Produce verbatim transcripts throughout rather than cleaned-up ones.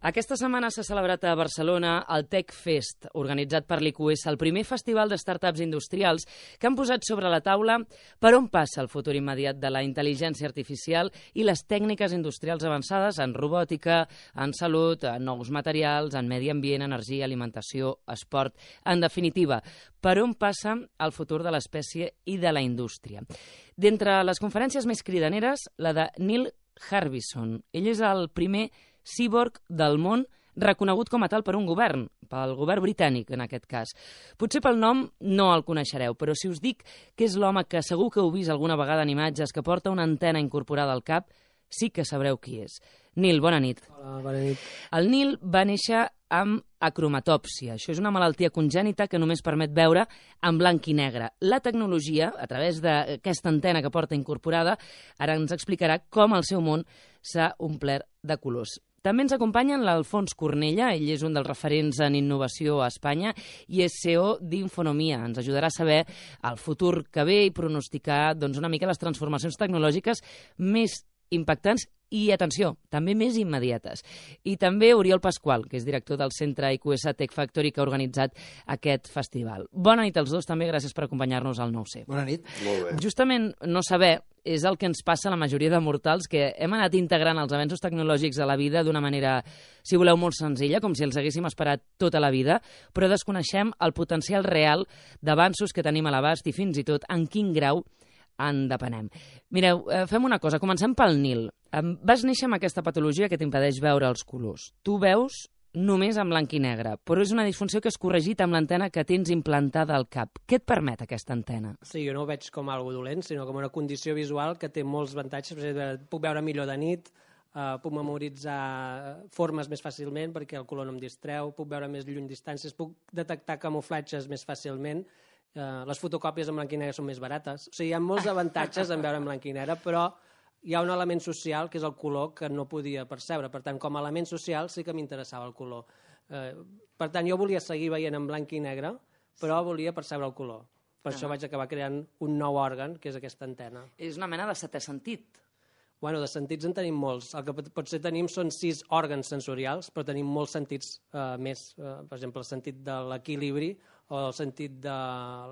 Aquesta setmana s'ha celebrat a Barcelona el Tech Fest, organitzat per l'I Q S, el primer festival de startups industrials que han posat sobre la taula per on passa el futur immediat de la intel·ligència artificial i les tècniques industrials avançades en robòtica, en salut, en nous materials, en medi ambient, energia, alimentació, esport. En definitiva, per on passa el futur de l'espècie i de la indústria. D'entre les conferències més cridaneres, la de Neil Harbisson. Ell és el primer cíborg del món reconegut com a tal per un govern, pel govern britànic en aquest cas. Potser pel nom no el coneixereu, però si us dic que és l'home que segur que heu vist alguna vegada en imatges, que porta una antena incorporada al cap, sí que sabreu qui és. Neil, bona nit. Hola, bona nit. El Neil va néixer amb acromatòpsia. Això és una malaltia congènita que només permet veure en blanc i negre. La tecnologia, a través d'aquesta antena que porta incorporada, ara ens explicarà com el seu món s'ha omplert de colors. També ens acompanyen l'Alfons Cornella, ell és un dels referents en innovació a Espanya i és C E O d'Infonomia. Ens ajudarà a saber el futur que ve i pronosticar doncs, una mica les transformacions tecnològiques més impactants i, atenció, també més immediates. I també Oriol Pasqual, que és director del centre I Q S Tech Factory, que ha organitzat aquest festival. Bona nit als dos, també gràcies per acompanyar-nos al nou C. Bona nit. Molt bé. Justament no saber és el que ens passa a la majoria de mortals, que hem anat integrant els avenços tecnològics a la vida d'una manera, si voleu, molt senzilla, com si els haguéssim esperat tota la vida, però desconeixem el potencial real d'avanços que tenim a l'abast i fins i tot en quin grau en depenem. Mireu, fem una cosa, comencem pel Nil. Vas néixer amb aquesta patologia que t'impedeix veure els colors. Tu veus només en blanc i negre, però és una disfunció que és corregit amb l'antena que tens implantada al cap. Què et permet aquesta antena? Sí, jo no ho veig com algo dolent, sinó com una condició visual que té molts avantatges. Per exemple, puc veure millor de nit, uh, puc memoritzar formes més fàcilment perquè el color no em distreu, puc veure més lluny distàncies, puc detectar camuflatges més fàcilment. Uh, les fotocòpies en blanc i negre són més barates. O sigui, hi ha molts avantatges en veure en blanc i negre, però hi ha un element social, que és el color, que no podia percebre. Per tant, com a element social sí que m'interessava el color. Uh, per tant, jo volia seguir veient en blanc i negre, però volia percebre el color. Per ah. això vaig acabar creant un nou òrgan, que és aquesta antena. És una mena de setè sentit. Bueno, de sentits en tenim molts. El que potser tenim són sis òrgans sensorials, però tenim molts sentits uh, més. Uh, per exemple, el sentit de l'equilibri, o el sentit de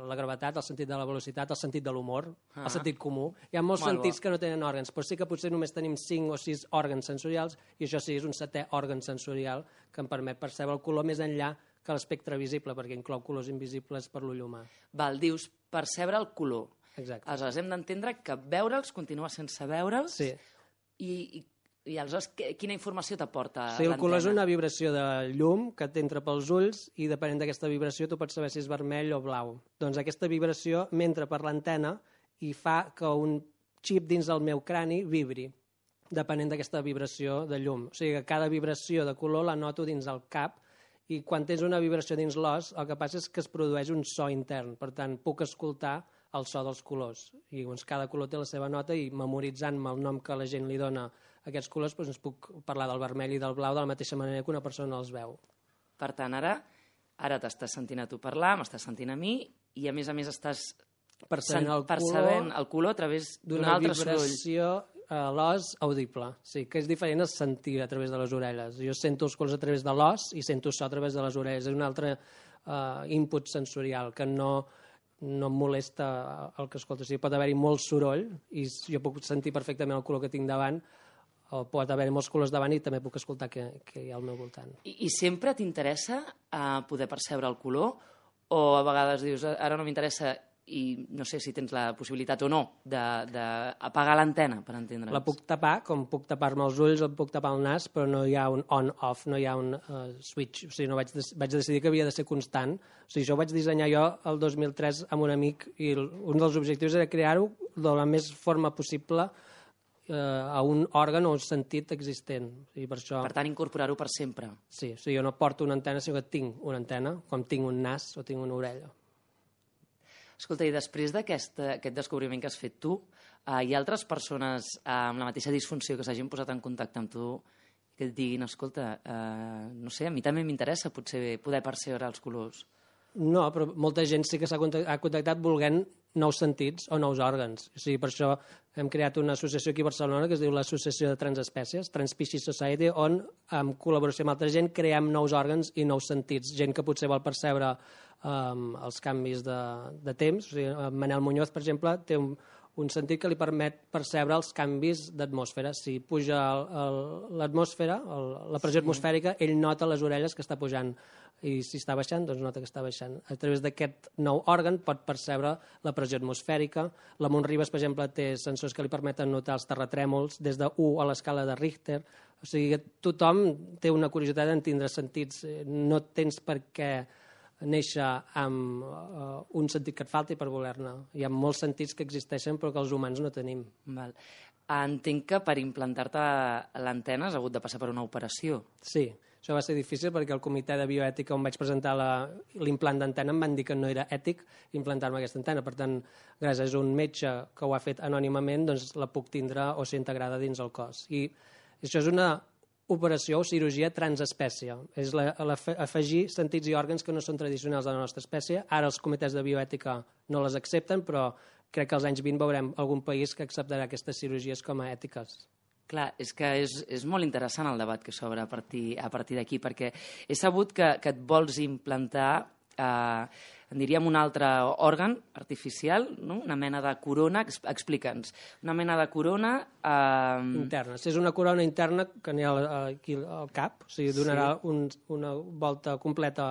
la gravetat, el sentit de la velocitat, el sentit de l'humor, ah. el sentit comú. Hi ha molts Molt sentits bo. que no tenen òrgans, però sí que potser només tenim cinc o sis òrgans sensorials, i això sí, és un setè òrgan sensorial que em permet percebre el color més enllà que l'espectre visible, perquè inclou colors invisibles per l'ull humà. Val, dius percebre el color. Exacte. Aleshores, hem d'entendre que veure'ls, continua sense veure'ls, sí. i, i, i aleshores quina informació t'aporta sí, el l'antena? color és una vibració de llum que t'entra pels ulls i depenent d'aquesta vibració tu pots saber si és vermell o blau. Doncs aquesta vibració m'entra per l'antena i fa que un xip dins del meu crani vibri, depenent d'aquesta vibració de llum. O sigui que cada vibració de color la noto dins el cap i quan tens una vibració dins l'os el que passa és que es produeix un so intern. Per tant, puc escoltar el so dels colors. I doncs, cada color té la seva nota i memoritzant-me el nom que la gent li dona a aquests colors doncs ens puc parlar del vermell i del blau de la mateixa manera que una persona els veu. Per tant, ara ara t'estàs sentint a tu parlar, m'estàs sentint a mi i a més a més estàs percebent el, percebent el color a través d'un altre soroll. D'una vibració a l'os audible. Sí, que és diferent a sentir a través de les orelles. Jo sento els colors a través de l'os i sento so a través de les orelles. És un altre uh, input sensorial que no, no em molesta el que escolto. O sigui, pot haver-hi molt soroll i jo puc sentir perfectament el color que tinc davant, o pot haver molts colors davant i també puc escoltar què, què hi ha al meu voltant. I, i sempre t'interessa uh, poder percebre el color o a vegades dius ara no m'interessa i no sé si tens la possibilitat o no d'apagar l'antena, per entendre'ns? La puc tapar, com puc tapar-me els ulls, em puc tapar el nas, però no hi ha un on-off, no hi ha un uh, switch. O sigui, no vaig, vaig decidir que havia de ser constant. O sigui, això ho vaig dissenyar jo el dos mil tres amb un amic i el, un dels objectius era crear-ho de la més forma possible a un òrgan o un sentit existent. I per això... Per tant, incorporar-ho per sempre. Sí, o sigui, jo no porto una antena, sinó que tinc una antena, com tinc un nas o tinc una orella. Escolta, i després d'aquest aquest descobriment que has fet tu, eh, hi ha altres persones eh, amb la mateixa disfunció que s'hagin posat en contacte amb tu que et diguin, escolta, eh, no sé, a mi també m'interessa potser poder percebre els colors. No, però molta gent sí que s'ha contactat, ha contactat volent nous sentits o nous òrgans. O sigui, per això hem creat una associació aquí a Barcelona que es diu l'Associació de Transespècies, Transspecies Society, on, en col·laboració amb altra gent, creem nous òrgans i nous sentits. Gent que potser vol percebre um, els canvis de, de temps. O sigui, Manel Muñoz, per exemple, té un, un sentit que li permet percebre els canvis d'atmosfera. Si puja l'atmosfera, la pressió atmosfèrica, ell nota les orelles que està pujant, i si està baixant, doncs nota que està baixant. A través d'aquest nou òrgan pot percebre la pressió atmosfèrica. La Montribes, per exemple, té sensors que li permeten notar els terratrèmols des de u a l'escala de Richter. O sigui, tothom té una curiositat en tindre sentits. No tens per què néixer amb uh, un sentit que et falti per voler-ne. Hi ha molts sentits que existeixen però que els humans no tenim. Val. Entenc que per implantar-te l'antena has hagut de passar per una operació. Sí, això va ser difícil perquè el comitè de bioètica on vaig presentar l'implant d'antena em van dir que no era ètic implantar-me aquesta antena. Per tant, gràcies a un metge que ho ha fet anònimament, doncs la puc tindre o ser integrada dins el cos. I això és una operació o cirurgia transespècie. És la, la, afegir sentits i òrgans que no són tradicionals de la nostra espècie. Ara els comitès de bioètica no les accepten, però crec que als anys vint veurem algun país que acceptarà aquestes cirurgies com a ètiques. Clar, és que és, és molt interessant el debat que s'obre a partir, a partir d'aquí, perquè he sabut que, que et vols implantar, eh, en diríem, un altre òrgan artificial, no? Una mena de corona, explica'ns, una mena de corona... Eh... Interna, si és una corona interna que n'hi ha aquí al cap, o sigui, donarà sí. un, una volta completa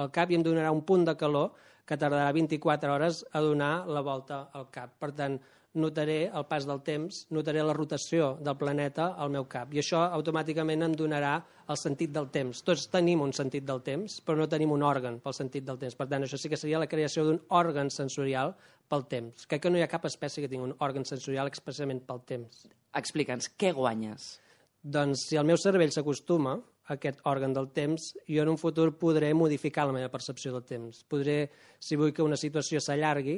al cap i em donarà un punt de calor que tardarà vint-i-quatre hores a donar la volta al cap. Per tant, notaré el pas del temps, notaré la rotació del planeta al meu cap. I això automàticament em donarà el sentit del temps. Tots tenim un sentit del temps, però no tenim un òrgan pel sentit del temps. Per tant, això sí que seria la creació d'un òrgan sensorial pel temps. Crec que no hi ha cap espècie que tingui un òrgan sensorial expressament pel temps. Explica'ns, què guanyes? Doncs si el meu cervell s'acostuma a aquest òrgan del temps, jo en un futur podré modificar la meva percepció del temps. Podré, si vull que una situació s'allargui,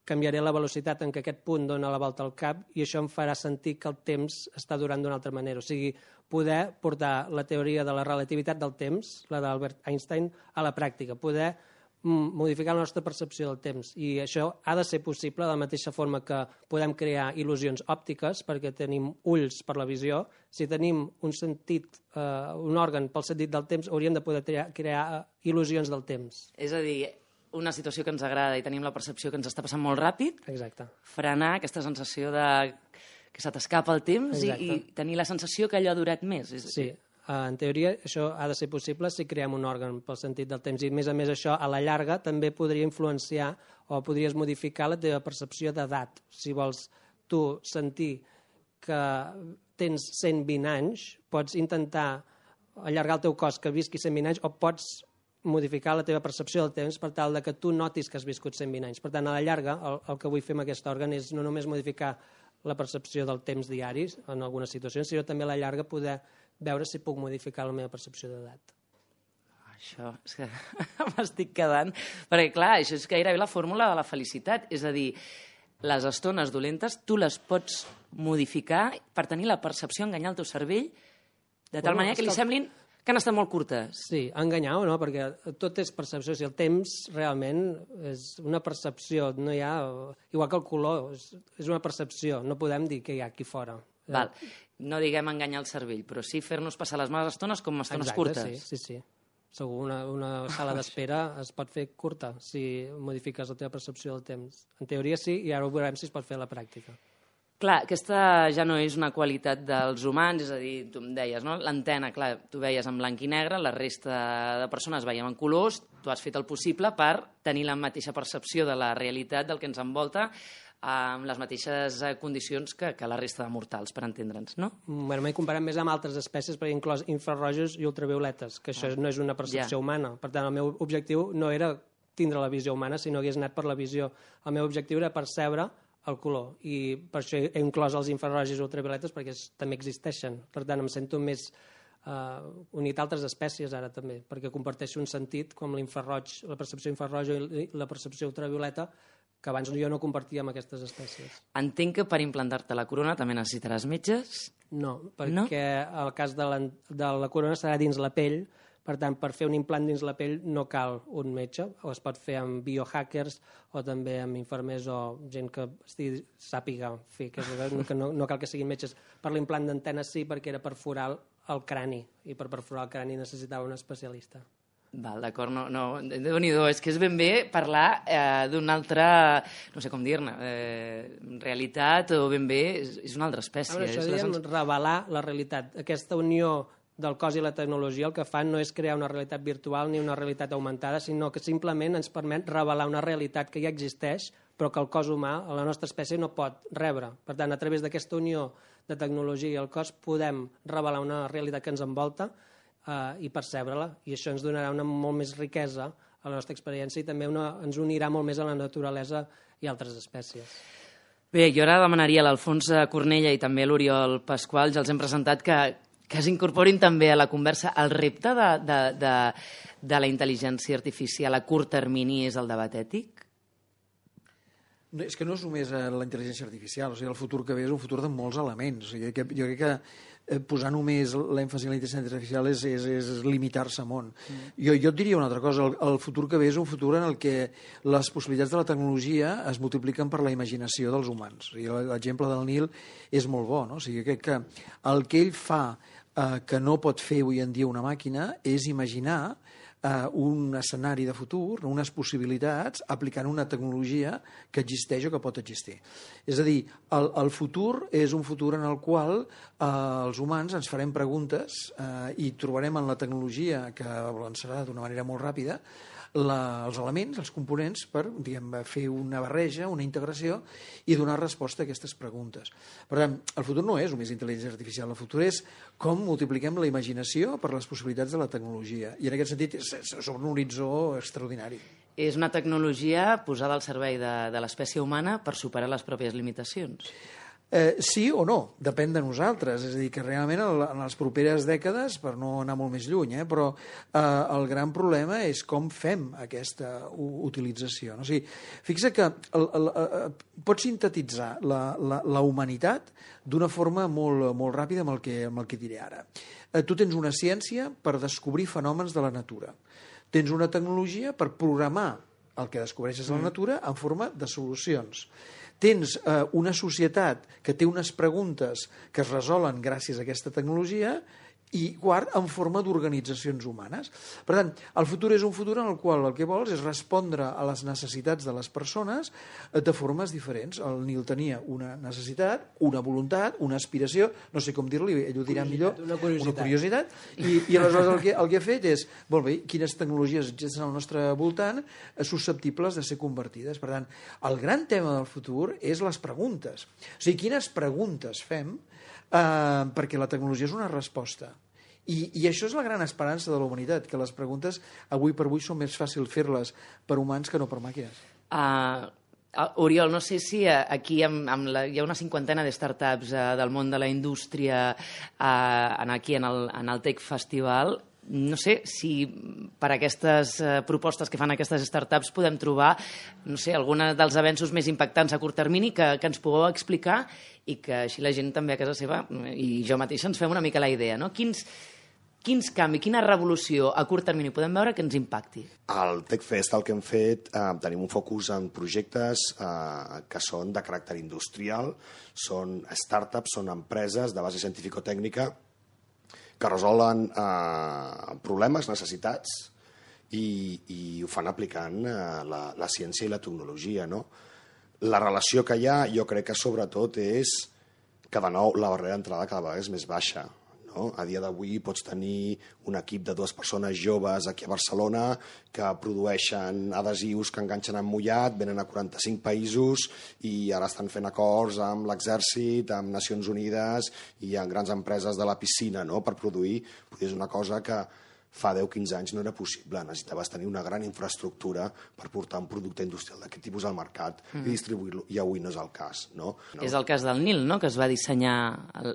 canviaré la velocitat en què aquest punt dona la volta al cap i això em farà sentir que el temps està durant d'una altra manera. O sigui, poder portar la teoria de la relativitat del temps, la d'Albert Einstein, a la pràctica, poder modificar la nostra percepció del temps. I això ha de ser possible de la mateixa forma que podem crear il·lusions òptiques perquè tenim ulls per la visió. Si tenim un sentit, eh, un òrgan pel sentit del temps, hauríem de poder crear, crear il·lusions del temps. És a dir, una situació que ens agrada i tenim la percepció que ens està passant molt ràpid, exacte, frenar aquesta sensació de que se t'escapa el temps i, i tenir la sensació que allò ha durat més. Sí, en teoria això ha de ser possible si creem un òrgan pel sentit del temps i a més a més això a la llarga també podria influenciar o podries modificar la teva percepció d'edat. Si vols tu sentir que tens cent vint anys, pots intentar allargar el teu cos que visqui cent vint anys o pots modificar la teva percepció del temps per tal de que tu notis que has viscut cent vint anys. Per tant, a la llarga, el, el que vull fer amb aquest òrgan és no només modificar la percepció del temps diaris en algunes situacions, sinó també a la llarga poder veure si puc modificar la meva percepció d'edat. Això és que m'estic quedant... Perquè, clar, això és gairebé la fórmula de la felicitat. És a dir, les estones dolentes tu les pots modificar per tenir la percepció, enganyar el teu cervell, de tal bueno, manera que li semblin que han estat molt curtes. Sí, enganyar o no, perquè tot és percepció. Si el temps realment és una percepció, no hi ha... Igual que el color, és, és una percepció, no podem dir que hi ha aquí fora. Val. No diguem enganyar el cervell, però sí fer-nos passar les males estones com estones Exacte, curtes. Sí, sí, sí. Segur, una, una sala d'espera es pot fer curta si modifiques la teva percepció del temps. En teoria sí, i ara ho veurem si es pot fer a la pràctica. Clar, aquesta ja no és una qualitat dels humans, és a dir, tu em deies, no? L'antena, clar, tu veies en blanc i negre, la resta de persones veiem en colors, tu has fet el possible per tenir la mateixa percepció de la realitat del que ens envolta amb les mateixes condicions que, que la resta de mortals, per entendre'ns, no? Bueno, m'he comparat més amb altres espècies, perquè inclòs infrarrojos i ultravioletes, que això ah. no és una percepció ja. humana. Per tant, el meu objectiu no era tindre la visió humana, sinó que hagués anat per la visió. El meu objectiu era percebre el color, i per això he inclòs els infrarrojos i ultravioletes perquè també existeixen. Per tant, em sento més uh, unit a altres espècies ara també, perquè comparteixo un sentit com l'infraroig, la percepció infraroja i la percepció ultravioleta, que abans jo no compartia amb aquestes espècies. Entenc que per implantar-te la corona també necessitaràs metges? No, perquè no? El cas de la, de la corona serà dins la pell, Per tant, per fer un implant dins la pell no cal un metge, o es pot fer amb biohackers o també amb infermers o gent que estigui, sàpiga fer, que, que no, no cal que siguin metges. Per l'implant d'antena sí, perquè era perforar el crani, i per perforar el crani necessitava un especialista. Val, d'acord, no, no, déu-n'hi-do, és que és ben bé parlar eh, d'una altra, no sé com dir-ne, eh, realitat o ben bé és, és una altra espècie. Ara, això és diem les... revelar la realitat. Aquesta unió del cos i la tecnologia el que fan no és crear una realitat virtual ni una realitat augmentada, sinó que simplement ens permet revelar una realitat que ja existeix, però que el cos humà, la nostra espècie, no pot rebre. Per tant, a través d'aquesta unió de tecnologia i el cos podem revelar una realitat que ens envolta eh, i percebre-la, i això ens donarà una molt més riquesa a la nostra experiència i també una, ens unirà molt més a la naturalesa i altres espècies. Bé, jo ara demanaria a l'Alfons Cornella i també a l'Oriol Pasqual, ja els hem presentat que que s'incorporin també a la conversa. El repte de, de, de, de la intel·ligència artificial a curt termini és el debat ètic? No, és que no és només la intel·ligència artificial, o sigui, el futur que ve és un futur de molts elements. O sigui, que, jo crec que posar només l'èmfasi en la intel·ligència artificial és, és, és limitar-se molt. Mm. Jo, jo et diria una altra cosa, el, el futur que ve és un futur en el que les possibilitats de la tecnologia es multipliquen per la imaginació dels humans. O sigui, l'exemple del Nil és molt bo, no? O sigui, crec que el que ell fa eh, que no pot fer avui en dia una màquina és imaginar eh, un escenari de futur, unes possibilitats, aplicant una tecnologia que existeix o que pot existir. És a dir, el, el futur és un futur en el qual eh, els humans ens farem preguntes eh, i trobarem en la tecnologia, que avançarà d'una manera molt ràpida, La, els elements, els components, per diguem, fer una barreja, una integració i donar resposta a aquestes preguntes. Per tant, el futur no és només intel·ligència artificial, el futur és com multipliquem la imaginació per les possibilitats de la tecnologia. I en aquest sentit és un horitzó extraordinari. És una tecnologia posada al servei de, de l'espècie humana per superar les pròpies limitacions. Eh, sí o no, depèn de nosaltres, és a dir, que realment en les properes dècades, per no anar molt més lluny, eh, però eh, el gran problema és com fem aquesta utilització. No? O sigui, fixa que el, el, el, pots sintetitzar la, la, la humanitat d'una forma molt, molt ràpida amb el que, amb el que diré ara. Eh, tu tens una ciència per descobrir fenòmens de la natura. Tens una tecnologia per programar el que descobreixes a la natura en forma de solucions. Tens eh, una societat que té unes preguntes que es resolen gràcies a aquesta tecnologia i, quart, en forma d'organitzacions humanes. Per tant, el futur és un futur en el qual el que vols és respondre a les necessitats de les persones de formes diferents. El Nil tenia una necessitat, una voluntat, una aspiració, no sé com dir-li, ell ho dirà millor, una curiositat, una curiositat i, i aleshores el que, el que ha fet és, molt bé, quines tecnologies existeixen al nostre voltant susceptibles de ser convertides. Per tant, el gran tema del futur és les preguntes. O sigui, quines preguntes fem Uh, perquè la tecnologia és una resposta. I, I això és la gran esperança de la humanitat, que les preguntes avui per avui són més fàcil fer-les per humans que no per màquines. Uh, Oriol, no sé si aquí amb, amb la, hi ha una cinquantena de startups uh, del món de la indústria uh, aquí en el, en el Tech Festival. No sé si per aquestes eh, propostes que fan aquestes startups podem trobar, no sé, alguns dels avenços més impactants a curt termini que, que ens pugueu explicar i que així la gent també a casa seva i jo mateixa ens fem una mica la idea, no? Quins, quins canvis, quina revolució a curt termini podem veure que ens impacti? Al TechFest el que hem fet, eh, tenim un focus en projectes eh, que són de caràcter industrial, són startups, són empreses de base científico-tècnica que resolen eh, problemes, necessitats, i, i ho fan aplicant eh, la, la ciència i la tecnologia, no? La relació que hi ha, jo crec que sobretot és que, de nou, la barrera d'entrada cada vegada és més baixa. No? A dia d'avui pots tenir un equip de dues persones joves aquí a Barcelona que produeixen adhesius que enganxen en mullat, venen a quaranta-cinc països i ara estan fent acords amb l'Exèrcit, amb Nacions Unides i amb grans empreses de la piscina, no? Per produir. És una cosa que fa deu quinze anys no era possible. Necessitaves tenir una gran infraestructura per portar un producte industrial d'aquest tipus al mercat mm. i distribuir-lo, i avui no és el cas. No? No. És el cas del Nil, no?, que es va dissenyar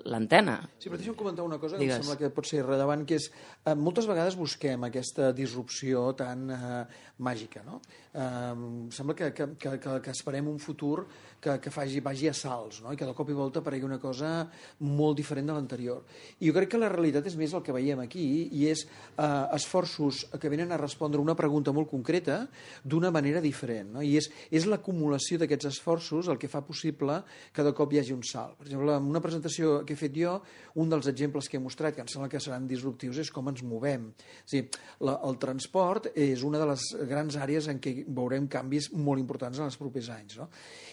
l'antena. Sí, però deixa'm comentar una cosa que Digues. em sembla que pot ser rellevant, que és, eh, moltes vegades busquem aquesta disrupció tan eh, màgica, no? Eh, sembla que, que, que, que esperem un futur que, que faci, vagi a salts, no? I que de cop i volta aparegui una cosa molt diferent de l'anterior. I jo crec que la realitat és més el que veiem aquí, i és eh, eh, esforços que venen a respondre una pregunta molt concreta d'una manera diferent. No? I és, és l'acumulació d'aquests esforços el que fa possible que de cop hi hagi un salt. Per exemple, en una presentació que he fet jo, un dels exemples que he mostrat, que em sembla que seran disruptius, és com ens movem. És a dir, la, el transport és una de les grans àrees en què veurem canvis molt importants en els propers anys. No?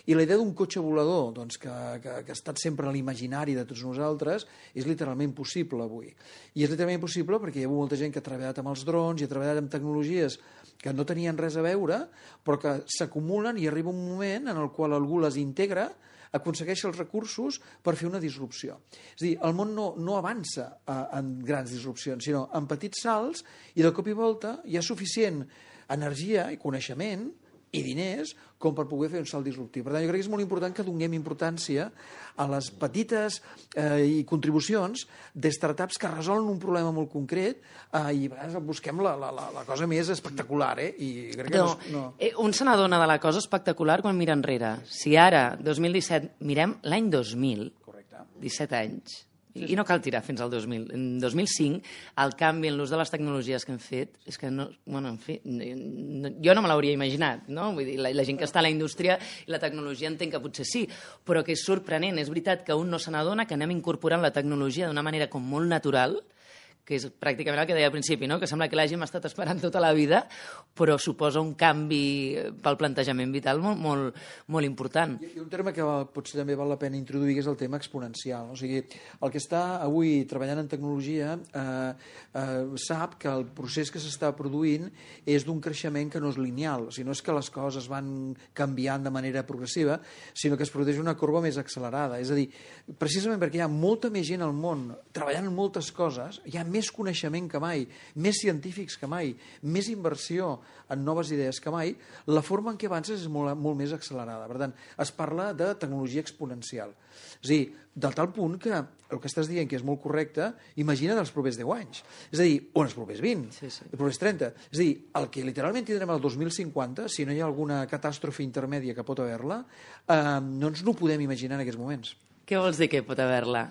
I la idea d'un cotxe volador, doncs, que, que, que ha estat sempre a l'imaginari de tots nosaltres, és literalment possible avui. I és literalment possible perquè hi ha molta gent que ha treballat amb els drons i ha treballat amb tecnologies que no tenien res a veure, però que s'acumulen i arriba un moment en el qual algú les integra, aconsegueix els recursos per fer una disrupció. És a dir, el món no, no avança a, en grans disrupcions, sinó en petits salts, i de cop i volta hi ha suficient energia i coneixement i diners com per poder fer un salt disruptiu. Per tant, jo crec que és molt important que donem importància a les petites eh, i contribucions de startups que resolen un problema molt concret eh, i a vegades busquem la, la, la cosa més espectacular. Eh? I crec que no, no, no... Eh, un se n'adona de la cosa espectacular quan mira enrere. Si ara, dos mil disset, mirem l'any dos mil, Correcte. disset anys, i, i no cal tirar fins al dos mil. En dos mil cinc, el canvi en l'ús de les tecnologies que hem fet, és que no, bueno, en fi, no, jo no me l'hauria imaginat, no? Vull dir, la, la gent que està a la indústria i la tecnologia entenc que potser sí, però que és sorprenent. És veritat que un no se n'adona que anem incorporant la tecnologia d'una manera com molt natural, que és pràcticament el que deia al principi, no? Que sembla que l'hàgim estat esperant tota la vida, però suposa un canvi pel plantejament vital molt, molt, molt important. Hi ha un terme que potser també val la pena introduir, que és el tema exponencial. No? O sigui, el que està avui treballant en tecnologia eh, eh, sap que el procés que s'està produint és d'un creixement que no és lineal. O sigui, no és que les coses van canviant de manera progressiva, sinó que es produeix una corba més accelerada. És a dir, precisament perquè hi ha molta més gent al món treballant en moltes coses, hi ha més coneixement que mai, més científics que mai, més inversió en noves idees que mai, la forma en què avances és molt, molt més accelerada. Per tant, es parla de tecnologia exponencial. És a dir, del tal punt que el que estàs dient, que és molt correcte, imagina't els propers deu anys. És a dir, o els propers vint, sí, sí. els propers trenta. És a dir, el que literalment tindrem el dos mil cinquanta, si no hi ha alguna catàstrofe intermèdia que pot haver-la, eh, no ens no podem imaginar en aquests moments. Què vols dir que pot haver-la?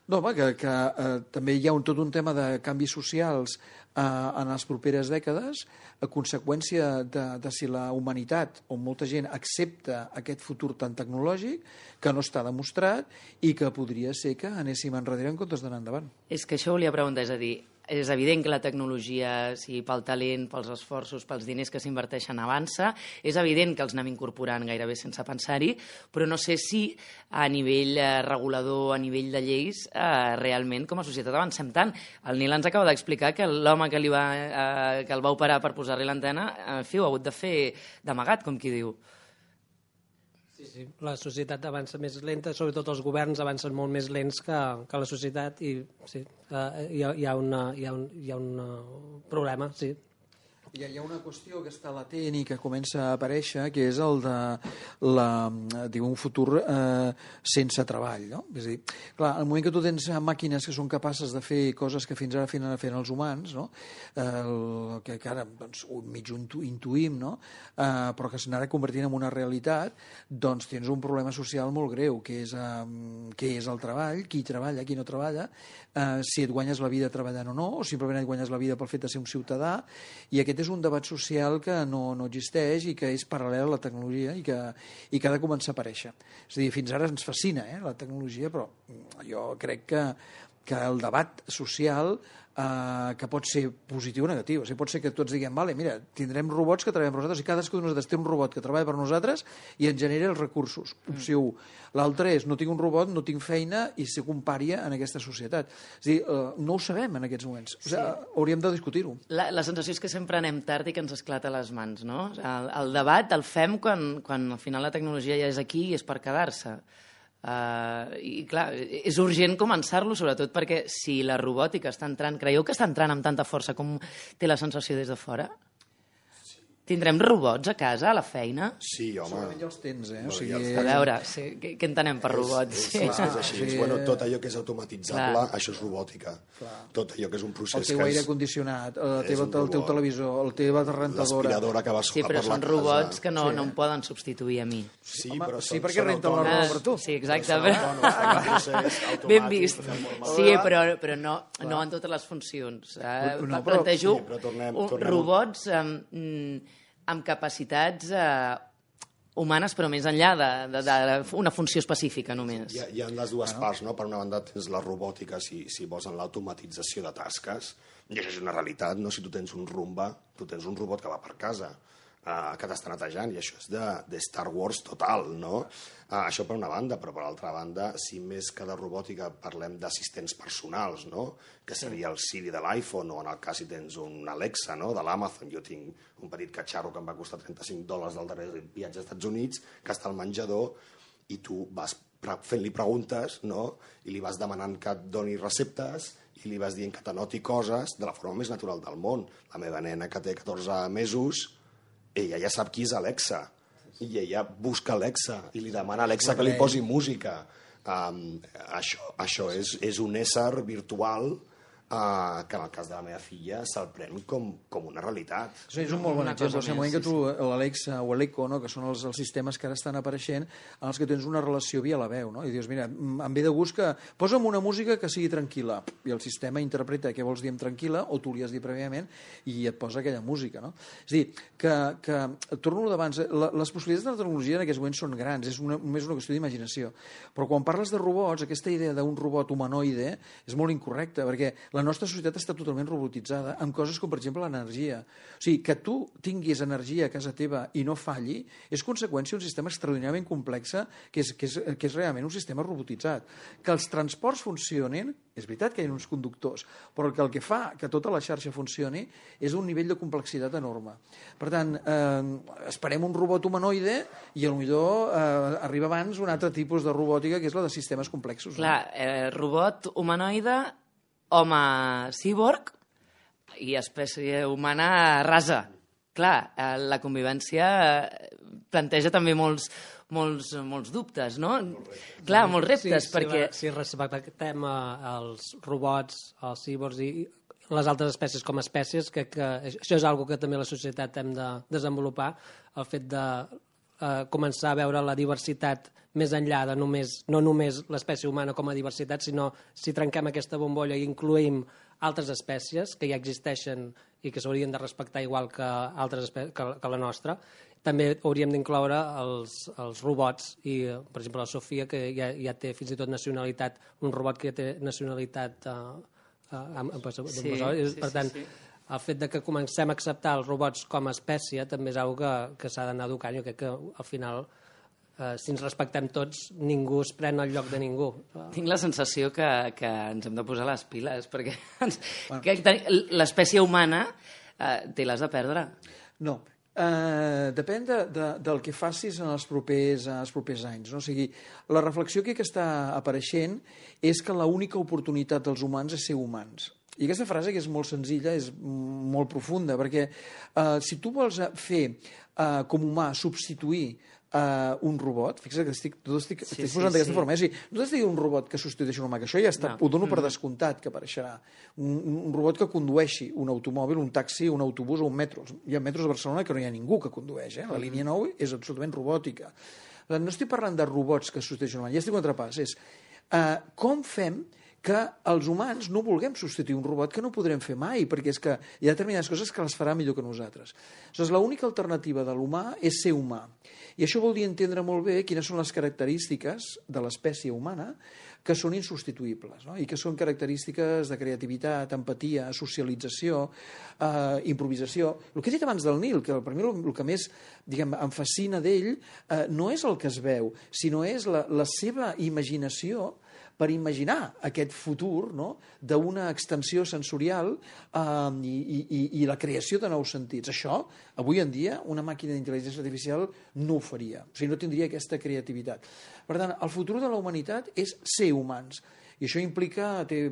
No, home, que, que eh, també hi ha un, tot un tema de canvis socials eh, en les properes dècades, a conseqüència de, de si la humanitat o molta gent accepta aquest futur tan tecnològic que no està demostrat i que podria ser que anéssim enrere en comptes d'anar endavant. És que això volia preguntar, és a dir, és evident que la tecnologia, sigui pel talent, pels esforços, pels diners que s'inverteixen, avança. És evident que els anem incorporant gairebé sense pensar-hi, però no sé si a nivell eh, regulador, a nivell de lleis, eh, realment com a societat avancem tant. El Nil ens acaba d'explicar que l'home que, li va, eh, que el va operar per posar-li l'antena, en fi, ho ha hagut de fer d'amagat, com qui diu. Sí, sí, la societat avança més lenta, sobretot els governs avancen molt més lents que, que la societat i sí, uh, hi, ha, hi, ha una, hi, ha un, hi ha un uh, problema, sí. Hi ha, hi ha una qüestió que està latent i que comença a aparèixer, que és el de la, diu, un futur eh, sense treball. No? És a dir, clar, al moment que tu tens màquines que són capaces de fer coses que fins ara feien, feien els humans, no? eh, el, que, que ara doncs, mig intuïm, no? eh, però que s'anara convertint en una realitat, doncs tens un problema social molt greu, que és, eh, que és el treball, qui treballa, qui no treballa, eh, si et guanyes la vida treballant o no, o simplement et guanyes la vida pel fet de ser un ciutadà, i aquest és un debat social que no, no existeix i que és paral·lel a la tecnologia i que, i que ha de començar a aparèixer. És a dir, fins ara ens fascina eh, la tecnologia, però jo crec que, que el debat social eh, que pot ser positiu o negatiu. O sigui, pot ser que tots diguem, vale, mira, tindrem robots que treballem per nosaltres i cadascú de nosaltres té un robot que treballa per nosaltres i ens genera els recursos. Opció u. L'altre és, no tinc un robot, no tinc feina i soc un pària en aquesta societat. És a dir, eh, no ho sabem en aquests moments. O sigui, sí. Hauríem de discutir-ho. La, la sensació és que sempre anem tard i que ens esclata a les mans, no? El, el debat el fem quan, quan al final la tecnologia ja és aquí i és per quedar-se. Uh, I clar, és urgent començar-lo, sobretot perquè si la robòtica està entrant, creieu que està entrant amb tanta força com té la sensació des de fora? Tindrem robots a casa, a la feina? Sí, home. Segurament ja els tens, eh? O Bueno, sigui, ja els A veure, sí, què, què entenem per robots? És, Sí. és, és així. Sí. Bueno, tot allò que és automatitzable, Clar. això és robòtica. Tot allò que és un el procés teu que aire és... condicionat, la és teva, un el teu robot. televisor, la teva rentadora... L'aspiradora que va Sí, solar però per la són casa. robots que no, Sí. no em poden substituir a mi. Sí, Home, però sí, són, perquè són renten la autònoms. roba per tu. Sí, exacte. Són autònoms, fan un procés automàtic, Ben vist. de forma- Sí, però, però no, no en totes les funcions. Eh, No, però- plantejo sí, però tornem- un- tornem- robots amb, mm, amb capacitats eh, humanes, però més enllà d'una funció específica només. Hi ha, hi ha les dues parts, no? Per una banda tens la robòtica, si, si vols, en l'automatització de tasques, i això és una realitat, no? Si tu tens un Roomba, tu tens un robot que va per casa, uh, que t'està netejant, i això és de, de Star Wars total, no? Uh, això per una banda, però per l'altra banda, si més que de robòtica parlem d'assistents personals, no? Que seria el Siri de l'iPhone, o en el cas si tens un Alexa, no? De l'Amazon. Jo tinc un petit catxarro que em va costar trenta-cinc dòlars del darrer viatge als Estats Units, que està al menjador, i tu vas fent-li preguntes, no? I li vas demanant que et doni receptes, i li vas dient que t'anoti coses de la forma més natural del món. La meva nena, que té catorze mesos, ella ja sap qui és Alexa, i ella busca Alexa, i li demana a Alexa que li posi música. Um, això això és, és un ésser virtual uh, que en el cas de la meva filla se'l pren com, com una realitat. Sí, és un molt bon Una exemple. cosa O sigui, el moment més, que tu, l'Alexa o l'Echo, no, que són els, els sistemes que ara estan apareixent, en els que tens una relació via la veu, no? I dius, mira, em ve de gust que posa'm una música que sigui tranquil·la, i el sistema interpreta què vols dir amb tranquil·la, o tu li has dit prèviament, i et posa aquella música, no? És a dir, que, que torno d'abans, les possibilitats de la tecnologia en aquests moments són grans, és una, només una qüestió d'imaginació, però quan parles de robots, aquesta idea d'un robot humanoide és molt incorrecta, perquè la nostra societat està totalment robotitzada, amb coses com, per exemple, l'energia. O sigui, que tu tinguis energia a casa teva i no falli, és conseqüència d'un sistema extraordinàriament complex, que és, que és, que és realment un sistema robotitzat. Que els transports funcionin, és veritat que hi ha uns conductors, però que el que fa que tota la xarxa funcioni és un nivell de complexitat enorme. Per tant, eh, esperem un robot humanoide i potser eh, arriba abans un altre tipus de robòtica, que és la de sistemes complexos. Clar, eh, robot humanoide, home cíborg i espècie humana rasa. Clar, eh, la convivència eh, planteja també molts, molts, molts dubtes, no? Clar, molts reptes, sí, perquè... Si, si respectem eh, els robots, els cíborgs i les altres espècies com a espècies, que, que això és una que també la societat hem de desenvolupar, el fet de eh, començar a veure la diversitat més enllà de només, no només l'espècie humana com a diversitat, sinó si trenquem aquesta bombolla i incluïm altres espècies que ja existeixen i que s'haurien de respectar igual que, altres que, que la nostra. També hauríem d'incloure els, els robots i, per exemple, la Sofia, que ja, ja té fins i tot nacionalitat, un robot que ja té nacionalitat eh, eh, amb, amb, amb, Sí, sí, per tant, sí, sí. el fet de que comencem a acceptar els robots com a espècie també és una que, que s'ha d'anar educant. Jo crec que al final, eh, si ens respectem tots, ningú es pren el lloc de ningú. Tinc la sensació que, que ens hem de posar les piles, perquè ens, que ten- l'espècie humana eh, té les de perdre. No, Uh, depèn de, de, del que facis en els propers, en els propers anys. No? O sigui, la reflexió que està apareixent és que l'única oportunitat dels humans és ser humans. I aquesta frase, que és molt senzilla, és molt profunda, perquè uh, si tu vols fer uh, com humà substituir uh, un robot, fixa't que estic, tot estic, Sí, estic sí, posant d'aquesta sí. forma, eh? O sigui, no t'estic dient un robot que substitueixi un humà, que això ja està, No. ho dono per descomptat que apareixerà. Un, un robot que condueixi un automòbil, un taxi, un autobús o un metro. Hi ha metros a Barcelona que no hi ha ningú que condueix, eh? La línia nou és absolutament robòtica. Per tant, no estic parlant de robots que substitueixen un humà, ja estic un altre pas, és uh, com fem que els humans no vulguem substituir un robot que no podrem fer mai, perquè és que hi ha determinades coses que les farà millor que nosaltres. Aleshores, l'única alternativa de l'humà és ser humà. I això vol dir entendre molt bé quines són les característiques de l'espècie humana que són insubstituïbles, no? I que són característiques de creativitat, empatia, socialització, eh, improvisació. El que he dit abans del Nil, que per mi el, el que més diguem, em fascina d'ell eh, no és el que es veu, sinó és la, la seva imaginació per imaginar aquest futur, no?, d'una extensió sensorial eh, i, i, i la creació de nous sentits. Això, avui en dia, una màquina d'intel·ligència artificial no ho faria, o sigui, no tindria aquesta creativitat. Per tant, el futur de la humanitat és ser humans. I això implica, té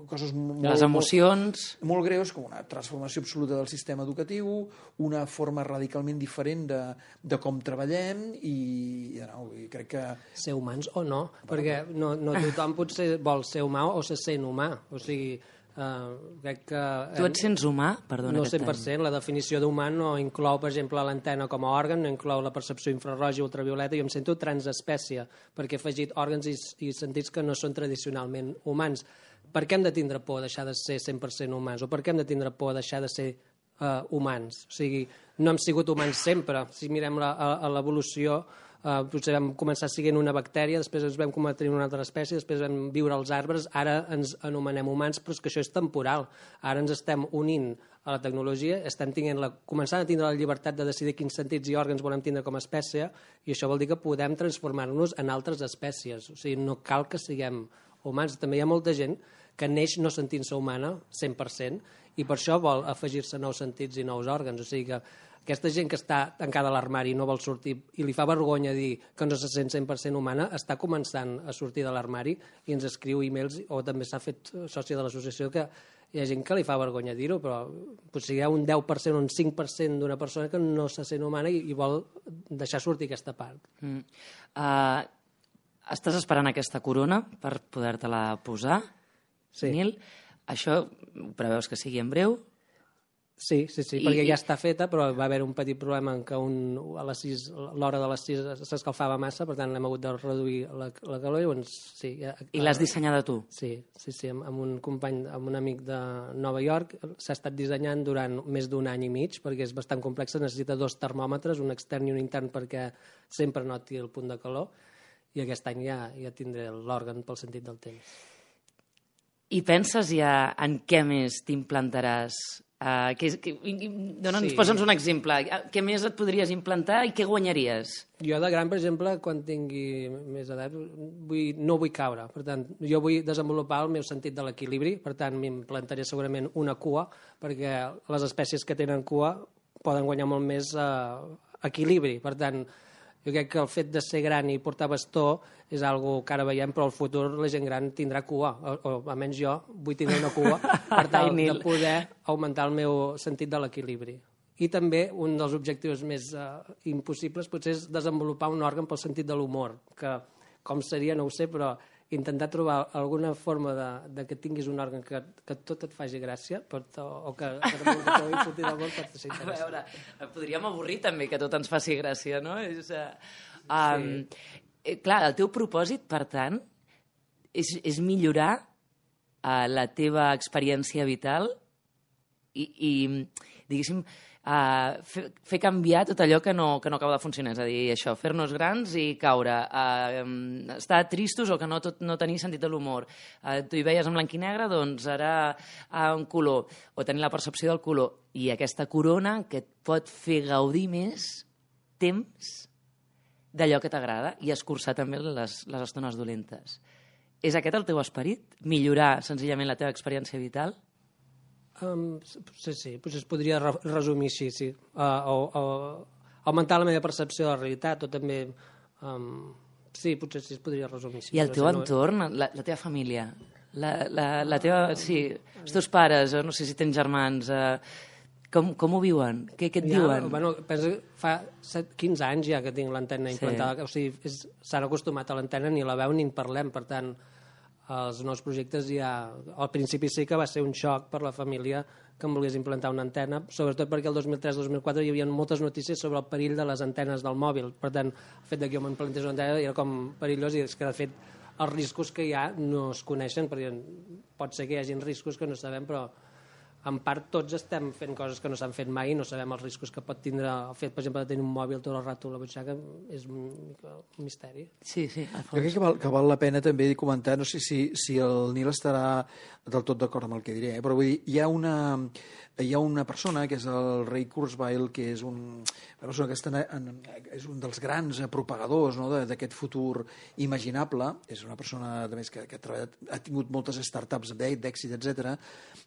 coses molt... Les emocions... Molt, molt greus, com una transformació absoluta del sistema educatiu, una forma radicalment diferent de, de com treballem i, no, i crec que... Ser humans o no, perquè no, no tothom potser vol ser humà o se sent humà. O sigui, Uh, crec que... Tu et sents humà? Perdona, no cent per cent. La definició d'humà no inclou, per exemple, l'antena com a òrgan, no inclou la percepció infraroja i ultravioleta. Jo em sento transespècie, perquè he afegit òrgans i, i sentits que no són tradicionalment humans. Per què hem de tindre por a deixar de ser cent per cent humans? O per què hem de tindre por a deixar de ser uh, humans? O sigui, no hem sigut humans sempre. Si mirem la, a, a l'evolució... Uh, potser vam començar sent una bactèria, després ens vam convertir en una altra espècie, després vam viure als arbres, ara ens anomenem humans, però és que això és temporal. Ara ens estem unint a la tecnologia, estem tinguent la, començant a tindre la llibertat de decidir quins sentits i òrgans volem tindre com a espècie, i això vol dir que podem transformar-nos en altres espècies. O sigui, no cal que siguem humans. També hi ha molta gent que neix no sentint-se humana, cent per cent, i per això vol afegir-se nous sentits i nous òrgans. O sigui que aquesta gent que està tancada a l'armari i no vol sortir i li fa vergonya dir que no se sent cent per cent humana, està començant a sortir de l'armari i ens escriu e-mails, o també s'ha fet soci de l'associació, que hi ha gent que li fa vergonya dir-ho, però potser hi ha un deu per cent o un cinc per cent d'una persona que no se sent humana i, i vol deixar sortir aquesta part. Mm. Uh, estàs esperant aquesta corona per poder-te-la posar, sí. Nil? Això ho preveus que sigui en breu? Sí, sí, sí, I, perquè ja està feta, però va haver un petit problema en què un, a les sis, l'hora de les sis s'escalfava massa, per tant l'hem hagut de reduir la, la calor. Llavors, sí, ja, I l'has dissenyada tu? Sí, sí, sí, amb, amb un company, amb un amic de Nova York. S'ha estat dissenyant durant més d'un any i mig, perquè és bastant complexa, necessita dos termòmetres, un extern i un intern, perquè sempre noti el punt de calor, i aquest any ja, ja tindré l'òrgan pel sentit del temps. I penses ja en què més t'implantaràs? Uh, que, que, Dona'ns, sí. Posa'ns un exemple. Què més et podries implantar i què guanyaries? Jo de gran, per exemple, quan tingui més edat, vull, no vull caure. Per tant, jo vull desenvolupar el meu sentit de l'equilibri. Per tant, m'implantaré segurament una cua, perquè les espècies que tenen cua poden guanyar molt més uh, equilibri. Per tant, jo crec que el fet de ser gran i portar bastó és algo que ara veiem, però al futur la gent gran tindrà cua, o, o almenys jo vull tenir una cua per tal de poder augmentar el meu sentit de l'equilibri. I també un dels objectius més uh, impossibles potser és desenvolupar un òrgan pel sentit de l'humor, que com seria no ho sé, però intentar trobar alguna forma de, de que tinguis un òrgan que, que tot et faci gràcia, per to, o que, que et pugui sortir del món per ser interessant. A veure, podríem avorrir també que tot ens faci gràcia, no? És, uh, um, sí. eh, clar, el teu propòsit, per tant, és, és millorar uh, la teva experiència vital i, i diguéssim, Uh, fer, fer canviar tot allò que no, que no acaba de funcionar, és a dir, això, fer-nos grans i caure, uh, um, estar tristos o que no, tot, no tenir sentit de l'humor. Uh, tu hi veies en blanc i negre, doncs ara uh, un color, o tenir la percepció del color. I aquesta corona que et pot fer gaudir més temps d'allò que t'agrada i escurçar també les, les estones dolentes. És aquest el teu esperit? Millorar senzillament la teva experiència vital? Um, sí, sí, potser es podria re resumir així, sí. Uh, o, o augmentar la meva percepció de la realitat, o també... Um, sí, potser sí, es podria resumir així. I el teu no... entorn, la, la teva família, la, la, la teva... Sí, els teus pares, no sé si tens germans... Uh, com, com ho viuen? Què, què et ja, diuen? Bueno, penso que fa set, quinze anys ja que tinc l'antena implantada. Sí. O sigui, s'han acostumat a l'antena, ni la veu ni en parlem, per tant... Els nous projectes ja... Al principi sí que va ser un xoc per la família que em volgués implantar una antena, sobretot perquè el dos mil tres dos mil quatre hi havia moltes notícies sobre el perill de les antenes del mòbil. Per tant, el fet que jo m'implantés una antena era com perillós, i és que, de fet, els riscos que hi ha no es coneixen, perquè pot ser que hi hagi riscos que no sabem, però en part tots estem fent coses que no s'han fet mai i no sabem els riscos que pot tindre el fet, per exemple, de tenir un mòbil tot el rato a la butxaca. És un, un misteri. Sí, sí. Jo crec que val, que val la pena també comentar, no sé si, si el Nil estarà del tot d'acord amb el que diré, eh? Però vull dir, hi ha una... hi ha una persona, que és el Ray Kurzweil, que és un, una persona que està en, és un dels grans propagadors, no?, d'aquest futur imaginable. És una persona, a més, que, que ha, treballat, ha tingut moltes startups d'èxit, etcètera,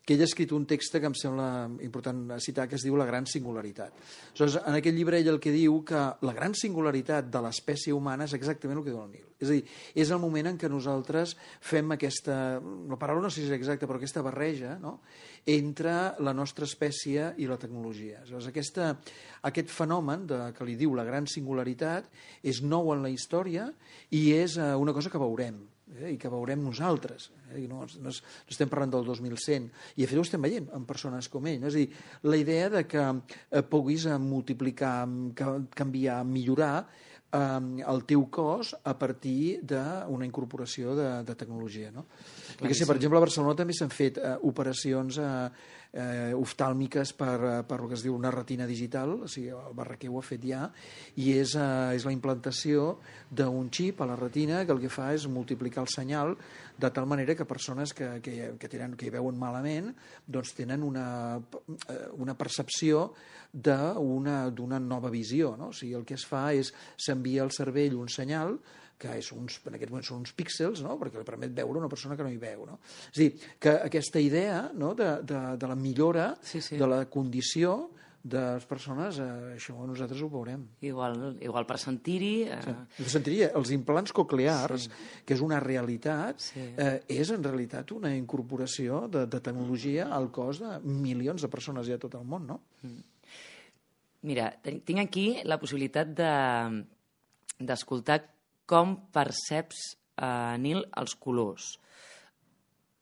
que ell ha escrit un text que em sembla important citar, que es diu La gran singularitat. Aleshores, en aquest llibre ell el que diu que la gran singularitat de l'espècie humana és exactament el que diu el Nil. És a dir, és el moment en què nosaltres fem aquesta, la paraula no sé si és exacta, però aquesta barreja, no?, entre la nostra espècie i la tecnologia. Aleshores, aquesta, aquest fenomen de, que li diu la gran singularitat és nou en la història i és eh, una cosa que veurem, eh, i que veurem nosaltres. Eh, no, no, no estem parlant del dos mil cent, i de fet ho estem veient en persones com ell. No? És a dir, la idea de que eh, puguis multiplicar, canviar, millorar eh, el teu cos a partir d'una incorporació de, de tecnologia. No? Perquè, sí, per exemple, a Barcelona també s'han fet eh, operacions eh, eh, oftàlmiques per, per el que es diu una retina digital, o sigui, el Barraquer ho ha fet ja, i és, eh, és la implantació d'un xip a la retina que el que fa és multiplicar el senyal de tal manera que persones que, que, que, tenen, que hi veuen malament doncs tenen una, una percepció d'una nova visió. No? O sigui, el que es fa és s'envia al cervell un senyal que és uns, en aquest moment són uns píxels, no?, perquè li permet veure una persona que no hi veu. No? És a dir, que aquesta idea, no?, de, de, de la millora sí, sí. de la condició de les persones, eh, això nosaltres ho veurem. Igual, igual per sentir-hi... Eh... Sí. Sentiria, els implants coclears, sí. que és una realitat, sí. eh, és en realitat una incorporació de, de tecnologia al cos de milions de persones ja a tot el món, no? Mm. Mira, tinc aquí la possibilitat de, d'escoltar com perceps, uh, Nil, els colors.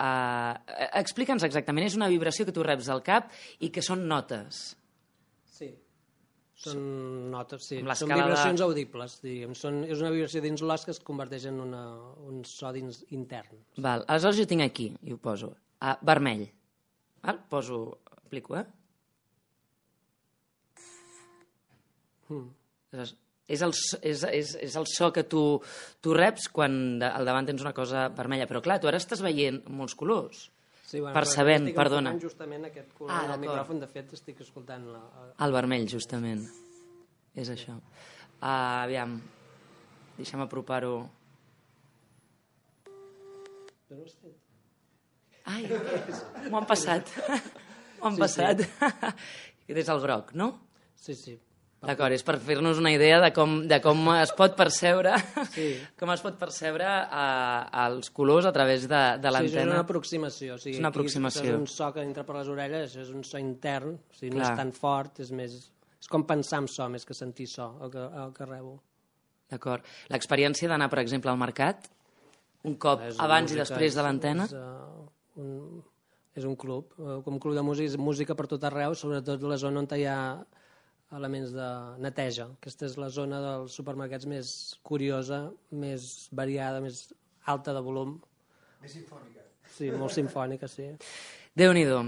Uh, Explica'ns exactament, és una vibració que tu reps al cap i que són notes. Sí, són notes, sí. Són vibracions de... audibles, diríem. Són, és una vibració dins l'os que es converteix en una, un so dins intern. Val, aleshores jo tinc aquí, i ho poso, uh, vermell. Val? Poso, aplico, eh? Mm. Aleshores, És el, és, és, és el so que tu, tu reps quan de, al davant tens una cosa vermella. Però clar, tu ara estàs veient molts colors. Sí, bueno, percebent, estic perdona. Justament aquest color ah, del micròfon, de fet, estic escoltant... La... El vermell, justament. És això. Uh, aviam, deixa'm apropar-ho. Ai, m'ho han passat. M'ho han sí, passat. Sí. Aquest és el groc, no? Sí, sí. D'acord, és per fer-nos una idea de com, de com es pot percebre sí. com es pot percebre uh, els colors a través de, de l'antena. Sí, és una aproximació. O sigui, és una aproximació. Aquí, és un so que entra per les orelles, això és un so intern, o sigui, no és tan fort, és més... És com pensar en so més que sentir so, el que, el que rebo. D'acord. L'experiència d'anar, per exemple, al mercat, un cop abans música, i després de l'antena? És, uh, un, és un club, uh, com un club de música, música per tot arreu, sobretot la zona on hi ha elements de neteja. Aquesta és la zona dels supermercats més curiosa, més variada, més alta de volum. Més simfònica. Sí, molt simfònica, sí. Déu-n'hi-do.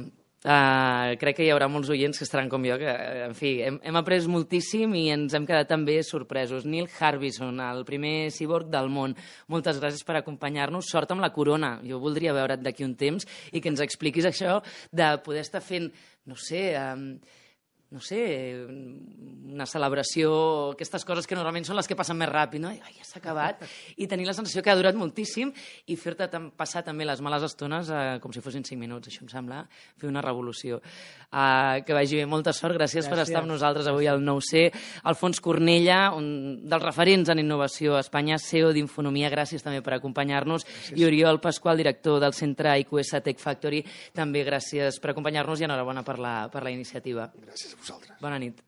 Uh, crec que hi haurà molts oients que estaran com jo, que, en fi, hem, hem après moltíssim i ens hem quedat també sorpresos. Neil Harbisson, el primer cyborg del món. Moltes gràcies per acompanyar-nos. Sort amb la corona. Jo voldria veure't d'aquí un temps i que ens expliquis això de poder estar fent, no sé... Um, no sé, una celebració, aquestes coses que normalment són les que passen més ràpid, no? I, ai, ja s'ha acabat, i tenir la sensació que ha durat moltíssim i fer-te passar també les males estones eh, com si fossin cinc minuts. Això em sembla fer una revolució. Uh, que vagi bé, molta sort, gràcies, gràcies per estar amb nosaltres avui al nou C. Alfons Cornella, un dels referents en innovació a Espanya, C E O d'Infonomia, gràcies també per acompanyar-nos, i Oriol Pasqual, director del centre I Q S Tech Factory, també gràcies per acompanyar-nos i enhorabona per la, per la iniciativa. Gràcies a vosaltres. Bona nit.